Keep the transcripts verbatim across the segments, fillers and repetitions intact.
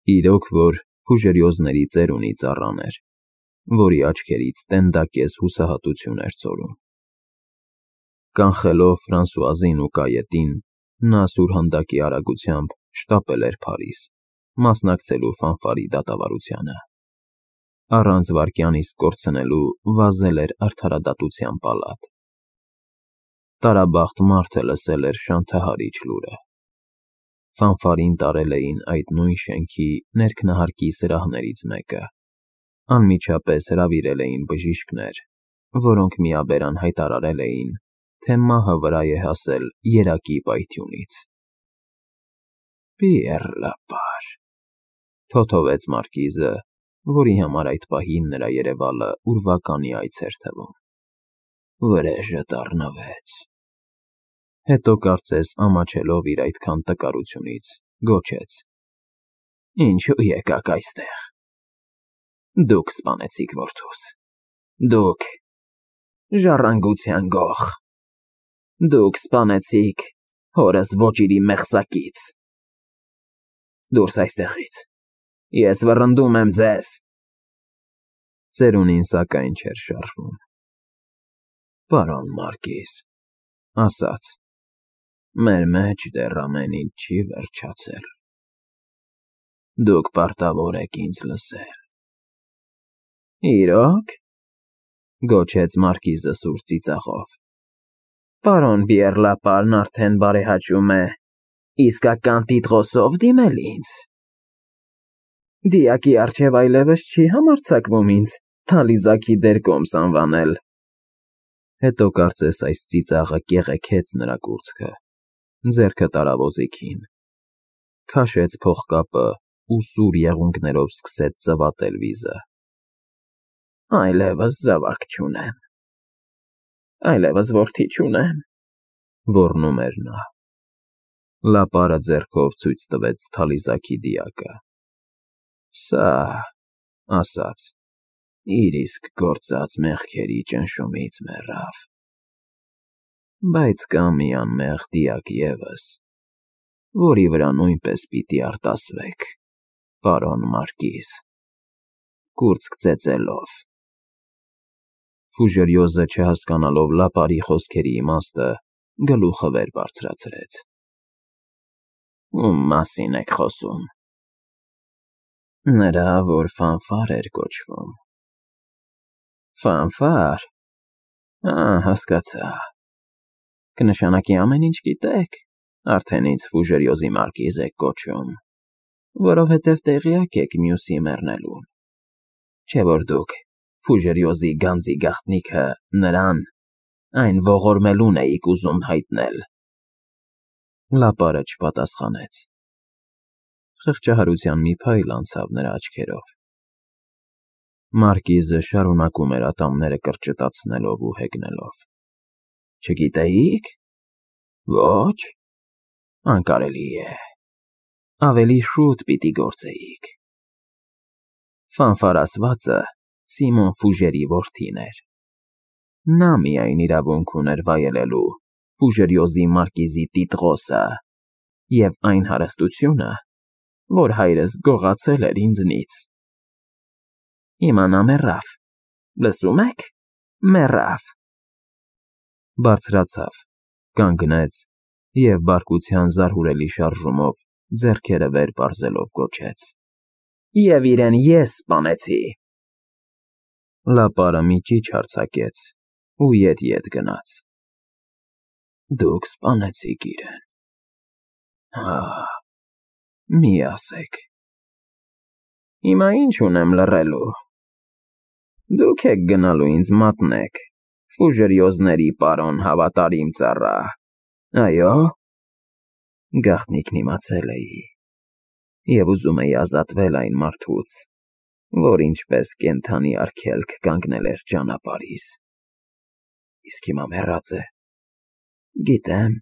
Իրոք որ Ֆուժերիոզների ծերունի ծառան էր, որի աչքերից տենդակես հուսահատություն էր ցոլում։ Կանխելով Ֆրանսուազին ու կայետին, նա սուրհանդակի արագությամբ շտապել էր Փարիզ, մասնակցելու ֆանֆարի դատավարությանը։ Առանց վայրկյան իսկ կորցնելու վազել էր արդարադատության պալատ։ Տարաբախտ մարդը լսել էր շանթահարիչ լուրը։ Ֆանֆարին տարել էին այդ նույն շենքի ներքնահարկի սրահներից մեկը, անմիջապես հրավիրել էին բժիշկներ, որոնք միաբերան հայտարարել էին, թե մահը վրա է հասել երակի պայթյունից։ «Պիեռ Լապար», թոթովեց մարկիզը, որի համար այդ պահին նրա երևալը ուրվականի այց էր թվում։ «Վրեժը դառնվեց»։ Հետո կարծես ամաչելով իր այդքան տկարությունից, գոչեց. «Ինչու եկաք այստեղ։ Դուք սպանեցիք որդուս, դուք, ժառանգության գող, դուք սպանեցիք հորս ոճիրի մեղսակից։ Դուրս այստեղից, ես վռնդում եմ ձեզ»։ Ծերունին սակայն չէր շարժվում։ «Պարոն մարկիզ», ասաց, «մեր մեջ դեռ ամեն ինչ չի վերջացել։ Դուք պարտավոր եք ինձ լսել»։ «Իրո՞ք», գոչեց մարկիզը սուր ծիծաղով, «պարոն Պիեռ Լապարն արդեն բարեհաճում է իսկական տիտղոսով դիմել ինձ։ Դիակի առջև այլևս չի համարձակվում ինձ թալիզաքի դերկոմս անվանել»։ Հետո կարծես այս ծիծաղը կեղեքեց նրա կուրծքը, ձեռքը տարավ օձիքին, քաշեց փողկապը ու սուր եղունգներով սկսեց ծվատել վիզը։ «Այլևս զավակ չունեմ, այլևս որդի չունեմ», ոռնում էր նա։ Լապարը ձեռքով ցույց տվեց թալիզաքի դիակը։ «Սա», ասաց, «իր իսկ գործած մեղքերի ճնշումից մեռավ։ Բայց կա մի անմեղ դիակ ևս, որի վրա նույնպես պիտի արտասվեք, պարոն մարկիզ, կուրծք ծեծելով»։ Ֆուժերիոզը, չհասկանալով Լապարի խոսքերի իմաստը, գլուխը վեր բարձրացրեց։ «Ում մասին եք խոսում»։ «Նրա, որ Ֆանֆար էր կոչվում»։ «Ֆանֆար, ա, հասկացա, կնշանակի ամեն ինչ գիտեք, արդեն ինձ Ֆուժերիոզի մարկիզ եք կոչում, որովհետև տեղյակ եք մյուսի մեռնելուն, չէ՞ որ դուք Ֆուժերիոզի գանձի գաղտնիքը նրան, այն ողորմելուն էիք ուզում հայտնել»։ Լապարը չպատասխանեց։ Խղճահարության մի փայլ անցավ նրա աչքերով։ Մարկիզը շարունակում էր ատամները կրճտացնելով ու հեգնելով։ «Չգիտեիք։ Ոչ, անկարելի է, ավելի շուտ պիտի գործեիք։ Ֆանֆար ասվածը Սիմոն Ֆուժերի որդին էր։ Նա միայն իրավունք ուներ վայելելու Ֆուժերիոզի մարկիզի տիտղոսը և այն հարստությունը, որ հայրս գողացել էր ինձնից։ Հիմա նա մեռավ, լսում եք, մեռավ»։ Բարձրացավ, կանգնեց և բարկության զարհուրելի շարժումով ձեռքերը վեր պարզելով գոչեց. «Եվ իրեն ես սպանեցի»։ Լապարը մի ճիչ արձակեց ու ետ֊ետ գնաց։ «Դուք սպանեցիք իրեն։ Հա, մի ասեք»։ «Հիմա ինչ ունեմ լռելու։ Դուք եք գնալու ինձ մատնեք, Ֆուժերիոզների պարոն հավատարիմ ծառա, այո՞։ Գաղտնիքն իմացել էի և ուզում էի ազատվել այն մարդուց, որ ինչպես կենդանի արգելք կանգնել էր ճանապարհիս, իսկ հիմա մեռած է։ Գիտեմ,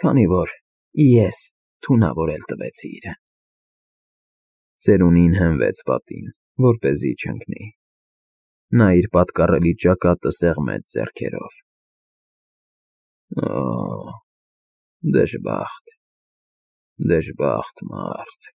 քանի որ ես թունավորել տվեցի իրեն»։ Ծերունին հենվեց պատին, որպեսզի չընկնի։ Նա իր պատկառելի ճակատը սեղմեց ձեռքերով։ «Օ, դժբախտ, դժբախտ մարդ»։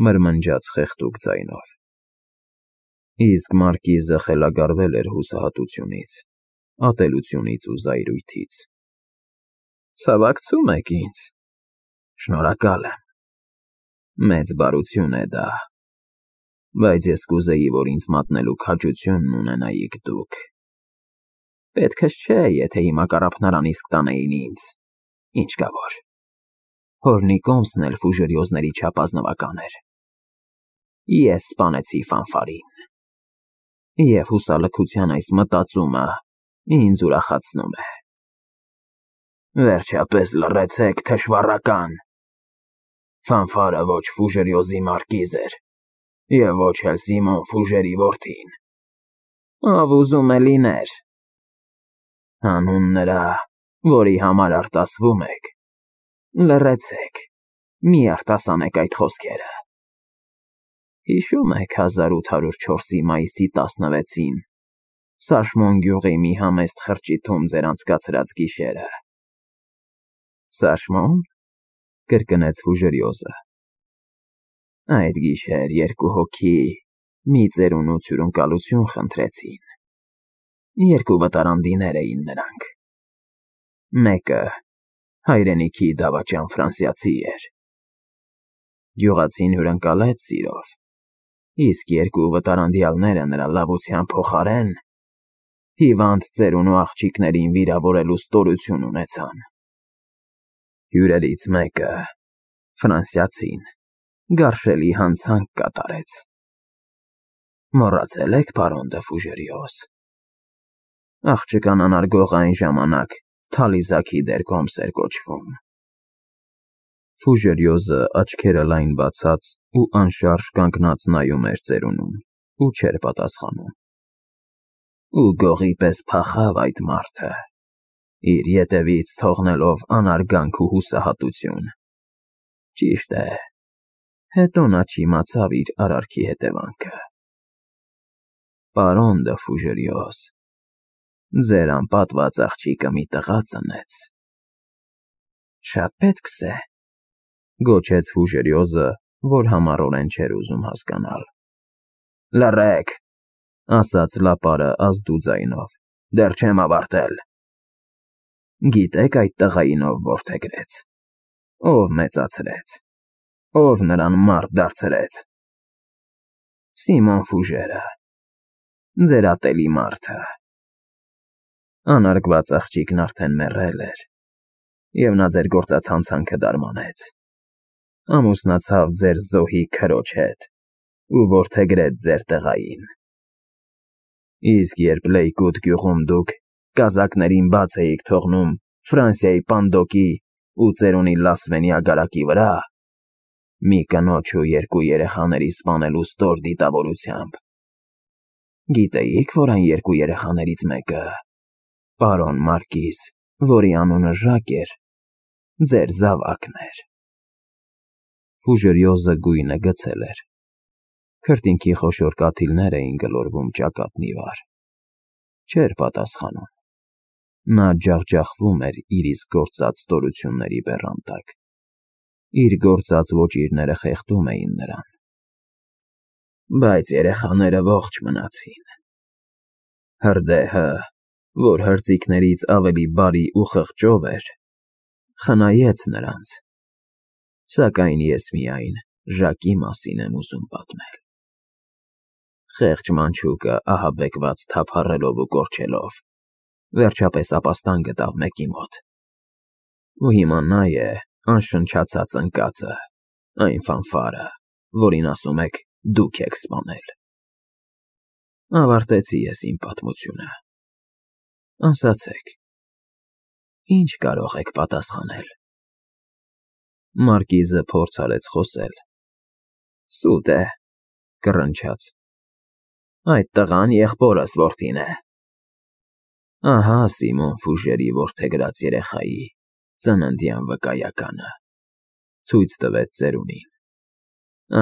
մրմնջաց խեղդուկ ձայնով։ Իսկ մարկիզը խելագարվել էր հուսահատությունից, ատելությունից ու զայրույթից։ Ցավակցում եք ինձ, շնորհակալ եմ, մեծ բարություն է դա, բայց ես կուզեի, որ ինձ մատնելու քաջությունն ունենայիք դուք։ Պետքս չէ, եթե հիմա կառափնարան իսկ տանեին ինձ, ինչ կա որ։ Հորնի կոմսն էլ ֆուժերիոզների չափ ազնվական էր։ Ես սպանեցի Ֆանֆարին։ Եվ հուսալքության այս մտածումը ինձ ուրախացնում է։ Վերջապես լռեցեք, թշվառական։ Ֆանֆարը ոչ ֆուժերիոզի մարկիզ էր, և ոչ էլ Սիմոն Ֆուժերի որդին։ Ով ուզում է լիներ։ Հանուն նրա, որի համար արտասվում եք, լռեցեք, մի արտասանեք այդ խոսքերը։ Հիշում եք հազար ութ հարյուր չորսի մայիսի տասնվեցին Սաշմոն գյուղի մի համեստ խրճիթում ձեր անցկացրած գիշերը։ Սաշմո՞ն, կրկնեց Ֆուժերիոզը։ Այդ գիշեր երկու հոգի մի ծերունու հյուրընկալություն խնդրեցին։ Երկու վտարանդիներ էին նրանք։ Մեկը հայրենիքի դավաճան ֆրանսիացի էր։ Գյուղացին հյուրընկալեց սիրով, իսկ երկու վտարանդյալները նրա լավության փոխարեն հիվանդ ծերունու աղջիկներին վիրավորելու ստորություն ունեցան։ Հյուրերից մեկը, ֆրանսիացին, գարշելի հանցանք կատարեց։ Մոռացել եք, պարոն դը Ֆուժերիոզ։ Աղջկան անարգողը այն ժամանակ Թալիզաքի դեր Կոմս էր կոչվում։ Ֆուժերիոզը աչքերը լայն բացած ու անշարժ կանգնած նայում էր ծերունուն ու չէր պատասխանում։ Ու գողի պես փախավ այդ մարդը, իր ետևից թողնելով անարգանք ու հուսահատություն։ Ճիշտ է, հետո նա չիմացավ իր արարքի հետևանքը։ Պարոն դը Ֆուժերիոզ, ձեր անպատված աղջիկը մի տղա ծնեց։ Շատ պետք է, գոչեց Ֆուժերիոզը, որ համառորեն չէր ուզում հասկանալ։ Լռեք, ասաց լապարը ազդու ձայնով, դեռ չեմ ավարտել։ Գիտեք այդ տղային ով որդեգրեց, ով մեծացրեց, ով նրան մարդ դարձրեց։ Սիմոն Ֆուժերը, ձեր ատելի մարդը։ Անարգված աղջիկն արդեն մեռել էր, և նա ձեր գործած հանցանքը դարմանեց։ Ամուսնացավ ձեր զոհի քրոջ հետ ու որդեգրեց ձեր տղային։ Իսկ երբ Լեյկոտ գյուղում դուք կազակներին բաց էիք թողնում Ֆրանսիայի Պանդոկի ու ծերունի Լասվենի ագարակի վրա, մի կնոջ ու երկու երեխաների սպանելու ստոր դիտավորությամբ, գիտեիք, որ այն երկու երեխաներից մեկը, պարոն մարկիզ, որի անունը Ժակ էր, ձեր զավակն էր։ Ֆուժերիոզը գույնը գցել էր։ Քրտինքի խոշոր կաթիլներ էին գլորվում ճակատն ի վար։ Չէր պատասխանում։ Նա ջախջախվում էր իր իսկ գործած ստորությունների բեռան տակ։ Իր գործած ոճիրները խեղդում էին նրան։ Բայց երեխաները ողջ մնացին։ Հրդեհը, որ հրձիքներից ավելի բարի ու խղճով էր, խնայեց նրանց, սակայն ես միայն Ժակի մասին եմ ուզում պատմել։ Խեղճ մանչուկը ահաբեկված թափառելով ու կորչելով, վերջապես ապաստան գտավ մեկի մոտ։ Ու հիմա նա է անշնչացած ընկածը, այն Ֆանֆարը, որին ասում եք դուք եք սպանել։ Ավարտեցի ես իմ պատմությունը։ Ասացեք, ինչ կարող եք պատասխանել։ Մարկիզը փորձ արեց խոսել։ Սուտ է, կռնչաց։ Այդ տղան եղբորս որդին է։ Ահա Սիմոն Ֆուժերի որդեգրած երեխայի ծննդյան վկայականը, ցույց տվեց ծերունին։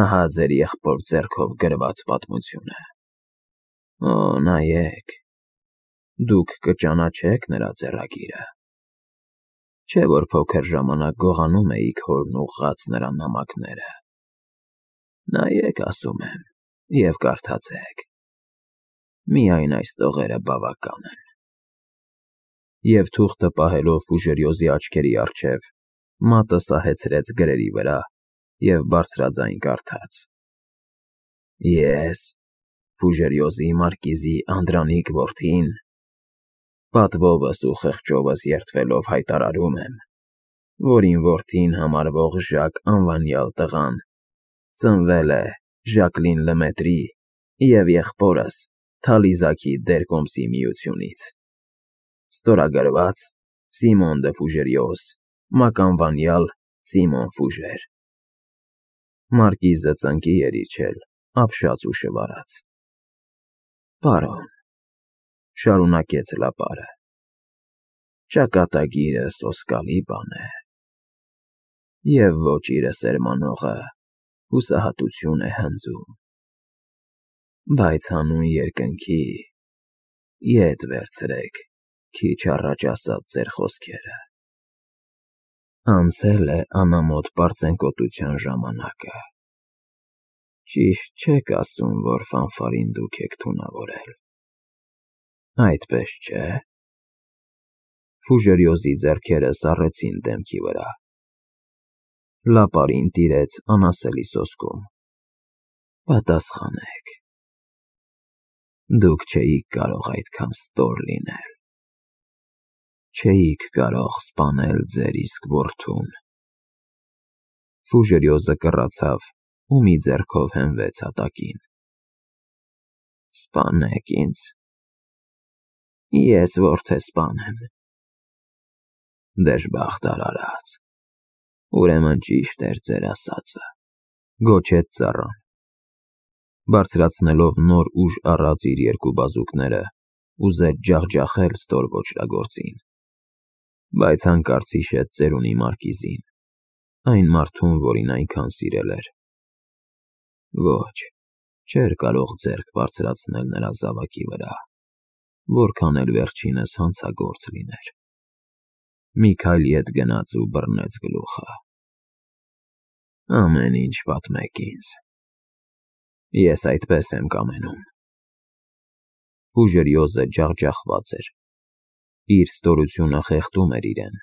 Ահա ձեր եղբոր ձեռքով գրված պատմությունը։ Օ, նայեք, դուք կճանաչեք նրա ձեռագիրը։ Չէ՞ որ փոքր ժամանակ գողանում էիք հորն ուղղած նրա նամակները։ Նայեք, ասում եմ, և կարդացեք. միայն այս տողերը բավական են։ Եվ թուղթը պահելով Ֆուժերիոզի աչքերի առջև, մատը սահեցրեց գրերի վրա և բարձրաձայն կարդաց. Ես, Ֆուժերիոզի մարկիզի Անդրանիկ որդին, պատվովս ու խղճովս երդվելով հայտարարում եմ, որ իմ որդին համարվող Ժակ անվանյալ տղան ծնվել է Ժակլին Լեմետրի և եղբորս Թալիզաքի Դերկոմսի միությունից։ Ստորագրված Սիմոն դը Ֆուժերիոզ, մականվանյալ Սիմոն Ֆուժեր։ Մարկիզը ծնկի էր իջել, ապշած ու շվարած։ Պարոն, շարունակեց լապարը, ճակատագիրը սոսկալի բան է, և ոճիրը սերմանողը հուսահատություն է հնձում, բայց հանուն երկնքի ետ վերցրեք քիչ առաջ ասած ձեր խոսքերը. անցել է անամոթ պարծենկոտության ժամանակը, ճիշտ չեք ասում, որ ֆանֆարին դուք եք թունավորել, այդպես չէ՞։ Ֆուժերիոզի ձեռքերը սառեցին դեմքի վրա, լապարին տիրեց անասելի սոսկում։ Պատասխանեք։ Դուք չէիք կարող այդքան ստոր լինել, չէիք կարող սպանել ձեր իսկ որդուն։ Ֆուժերիոզը կռացավ ու մի ձեռքով հենվեց հատակին։ Սպանեք ինձ, ես որդը սպանեմ։ Դժբախտ արարած, ուրեմն ճիշտ էր ձեր ասածը, գոչեց ծառան, բարձրացնելով նոր ուժ առած իր երկու բազուկները, ուզեց ջախջախել ստոր ոճրագործին, բայց հանկարծ հիշեց ծերունի մարկիզին, այն մարդուն, որին այնքան սիրել էր։ Ոչ, չէր կարող ձեռք բարձրացնել նրա զավակի վրա, որքան էլ վերջինս հանցագործ լիներ։ Մի քայլ ետ գնաց ու բռնեց գլուխը։ Ամեն ինչ պատմեք ինձ, ես այդպես եմ կամենում։ Ֆուժերիոզը ջախջախված էր, իր ստորությունը խեղդում էր իրեն,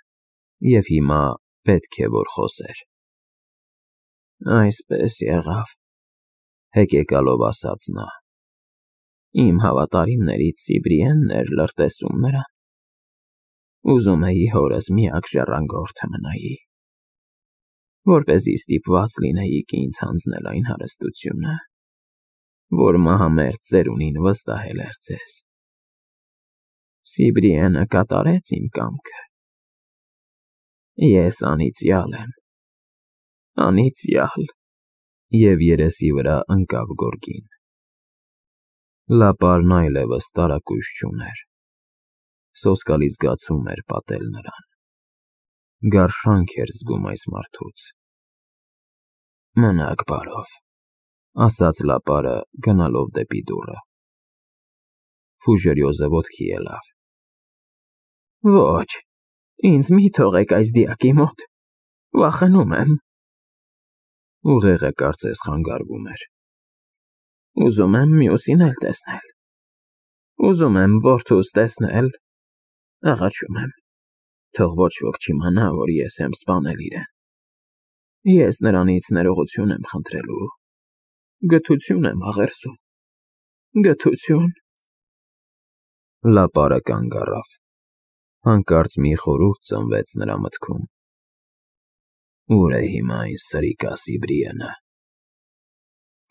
և հիմա պետք է որ խոսեր։ Այսպես եղավ, հեկեկալով ասաց նա, իմ հավատարիմներից Սիբրիենն էր լրտեսում նրան, ուզում էի հորս միակ ժառանգորդը մնայի, որպեսզի ստիպված լինեիք ինձ հանձնել այն հարստությունը, որ մահամերձ ծերունին վստահել էր ձեզ։ Սիբրիենը կատարեց իմ կամքը։ Ես անիծյալ եմ, անիծյալ։ Եվ երեսի վրա ընկավ գորգին։ Լապարն այլևս տարակույս չուներ, սոսկալի զգացում էր պատել նրան, գարշանք էր զգում այս մարդուց։ Մնաք բարով, ասաց լապարը, գնալով դեպի դուռը։ Ֆուժերիոզը ոտքի ելավ։ Ոչ, ինձ մի թողեք այս դիակի մոտ, վախենում եմ։ Ուղեղը կարծես խանգարվում էր։ Ուզում եմ մյուսին էլ տեսնել, ուզում եմ որդուս տեսնել, աղաչում եմ, թող ոչ ոք չիմանա, որ ես եմ սպանել իրեն։ Ես նրանից ներողություն եմ խնդրելու, գթություն եմ աղերսում, գթություն։ Լապարը կանգ առավ, հանկարծ մի խորհուրդ ծնվեց նրա մտքում։ Ուր է հիմա այն սրիկա Սիբրիենը։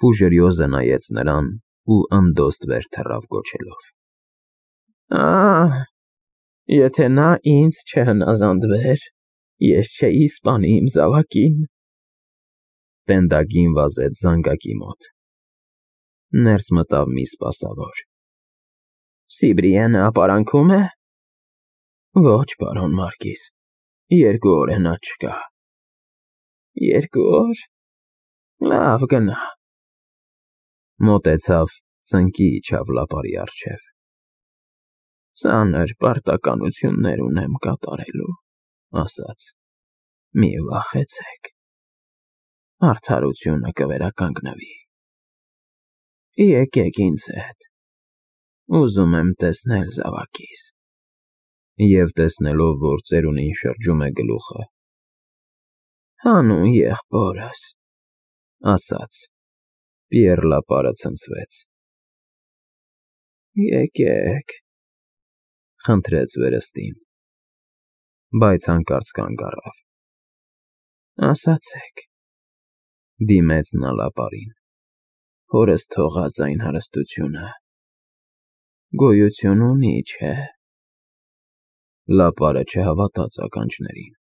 Ֆուժերիոզը նայեց նրան ու ընդոստ վեր թռավ գոչելով. Ահ, եթե նա ինձ չհնազանդվեր, ես չէի սպանի իմ զավակին։ Տենդագին վազեց զանգակի մոտ։ Ներս մտավ մի սպասավոր։ Սիբրիենը ապարանքո՞ւմ է։ Ոչ, պարոն մարկիզ, երկու օր է նա չկա։ Երկու օր, լավ գնա։ Մոտեցավ, ծնկի իջավ լապարի առջև։ Ծանր պարտականություններ ունեմ կատարելու, ասաց, մի վախեցեք։ Արդարությունը կվերականգնվի։ Եկեք ինձ հետ, ուզում եմ տեսնել զավակիս։ Եվ տեսնելով, որ ծերունին շրջում է գլուխը. Հանուն եղբորս, ասաց, Պիեռ Լապարը ցնցվեց։ Եկեք, խնդրեց վերստին, բայց հանկարծ կանգ առավ։ Ասացեք, դիմեց նա Լապարին, հորս թողած այն հարստությունը գոյություն ունի, չէ՞։ Լապարը չհավատաց ականջներին։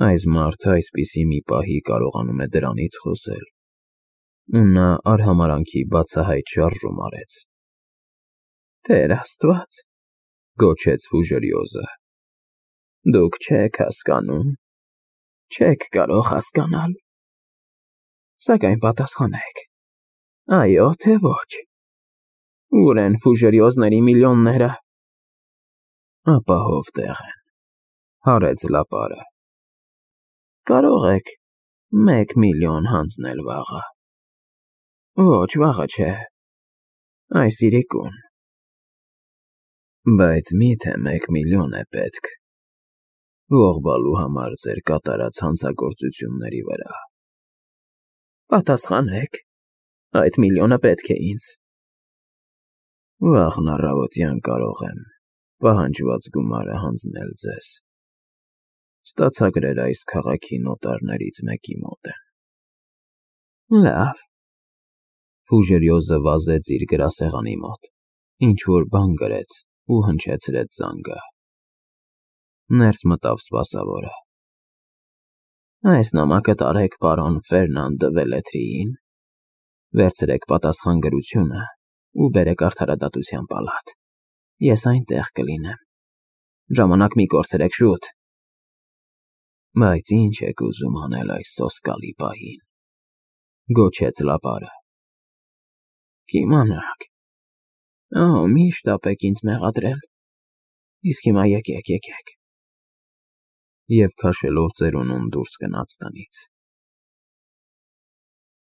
Այս մարդը այսպիսի մի պահի կարողանում է դրանից խոսել, ու նա արհամարհանքի բացահայտ շարժում արեց։ Տեր Աստված, գոչեց Ֆուժերիոզը, դուք չեք հասկանում, չեք կարող հասկանալ, սակայն պատասխանեք, այո թե ոչ, ուր են Ֆուժերիոզների միլիոնները։ Ապահով տեղ են, հարեց Լապարը։ Կարող եք մեկ միլիոն հանձնել վաղը։ Ոչ, վաղը չէ, այս իրիկուն։ Բայց մի՞թե մեկ միլիոն է պետք ողբալու համար ձեր կատարած հանցագործությունների վրա։ Պատասխանեք, այդ միլիոնը պետք է ինձ։ Վաղն առավոտյան կարող եմ պահանջված գումարը հանձնել ձեզ։ Ստացագրերը այս քաղաքի նոտարներից մեկի մոտ են։ Լավ։ Ֆուժերիոզը վազեց իր գրասեղանի մոտ, ինչ֊որ բան գրեց ու հնչեցրեց զանգը։ Ներս մտավ սպասավորը։ Այս նամակը տարեք պարոն Ֆերնան դը Վելեթրիին, վերցրեք պատասխան գրությունը ու բերեք արդարադատության պալատ, ես այնտեղ կլինեմ, ժամանակ մի կորցրեք, շուտ։ Բայց ինչ եք ուզում անել այս սոսկալի պահին, գոչեց Լապարը։ Կիմանաք, ահա միշտ ապեք ինձ մեղադրել, իսկ հիմա եկեք, եկեք։ Եվ քաշելով ծերունուն դուրս գնաց տնից։